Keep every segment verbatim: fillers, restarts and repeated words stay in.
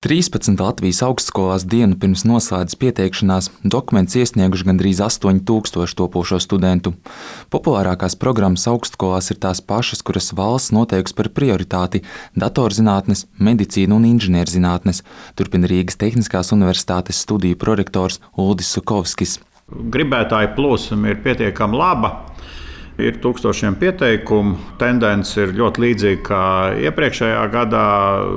trīspadsmit Latvijas augstskolās dienu pirms noslēdzas pieteikšanās dokumentus iesnieguši gandrīz astoņi tūkstoši topošo studentu. Populārākās programmas augstskolās ir tās pašas, kuras valsts noteikusi par prioritāti – datorzinātnes, medicīna un inženierzinātnes, turpina Rīgas Tehniskās universitātes studiju prorektors Uldis Sukovskis. Gribētāju plūsma ir pietiekami laba. Ir tūkstošiem pieteikumu. Tendence ir ļoti līdzīga kā iepriekšējā gadā.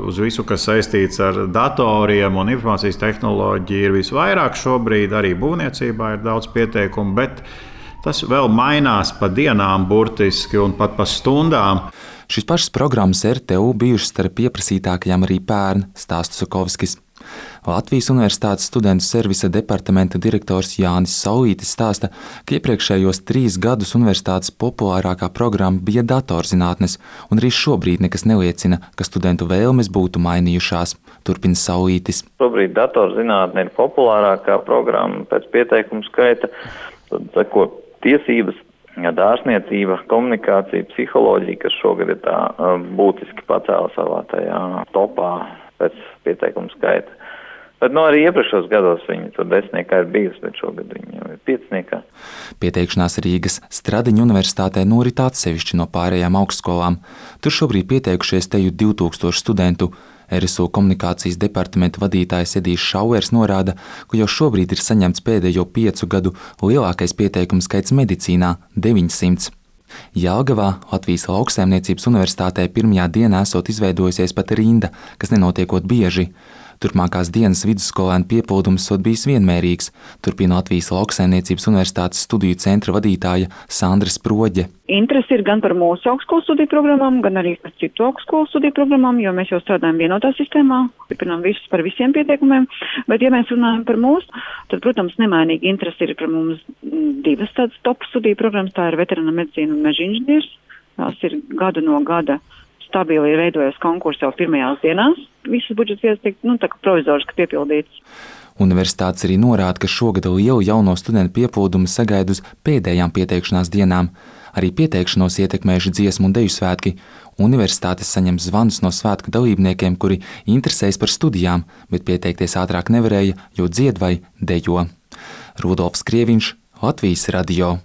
Uz visu, kas saistīts ar datoriem un informācijas tehnoloģiju, ir visvairāk šobrīd. Arī būvniecībā ir daudz pieteikumu, bet tas vēl mainās pa dienām burtiski un pat pa stundām. Šīs pašas programmas R T U bijušas starp pieprasītākajām arī pērn, stāsta Sukovskis. Latvijas Universitātes studentu servisa departamenta direktors Jānis Saulītis stāsta, ka iepriekšējos trīs gadus universitātes populārākā programma bija datorzinātnes, un arī šobrīd nekas neliecina, ka studentu vēlmes būtu mainījušās, turpina Saulītis. Šobrīd datorzinātne ir populārākā programma pēc pieteikumu skaita, tad seko tiesības, dārzniecība, komunikācija, psiholoģija, kas šogad ir tā būtiski pacēla savā tajā topā pēc pieteikumu skaita. Bet no arī iepriekšos gados viņi tur desmitniekā ir bijusi, bet šogad viņi jau ir pieciniekā. Pieteikšanās Rīgas Stradiņu universitātē norit atsevišķi no pārējām augstskolām. Tur šobrīd pieteikušies teju divi tūkstoši studentu. R S U komunikācijas departamenta vadītājs Edijs Šauers norāda, ka jau šobrīd ir saņemts pēdējo piecu gadu lielākais pieteikumu skaits medicīnā – deviņsimt. Jelgavā Latvijas Lauksaimniecības universitātē pirmajā dienā esot izveidojusies pat rinda, kas nenotiekot bieži. Turpmākās dienas vidusskolēnu piepildums esot bijis vienmērīgs, turpina Latvijas Lauksaimniecības universitātes studiju centra vadītāja Sandra Sproģe. Interesi ir gan par mūsu augstskolu studiju programmām, gan arī par citu augstskolu studiju programmām, jo mēs jau strādājam vienotā sistēmā, stiprinām visus par visiem pieteikumiem, bet ja mēs runājam par mūsu, tad, protams, nemainīgi interesi ir par mums divas tādas top studiju programmas, tā ir veterināra medicīna un meža inženieris. Tās ir gadu no gada stabili ir veidojies konkurss jau pirmajās dienās. Visas budžets iestiek, nu, tā kā provizoriski piepildīts. Universitātes arī norāda, ka šogad lielu jauno studentu piepildumu sagaida uz pēdējām pieteikšanās dienām. Arī pieteikšanos ietekmējuši dziesmu un deju svētki. Universitātes saņem zvanus no svētku dalībniekiem, kuri interesējas par studijām, bet pieteikties ātrāk nevarēja, jo dzied vai dejo. Rudolfs Krieviņš, Latvijas radio.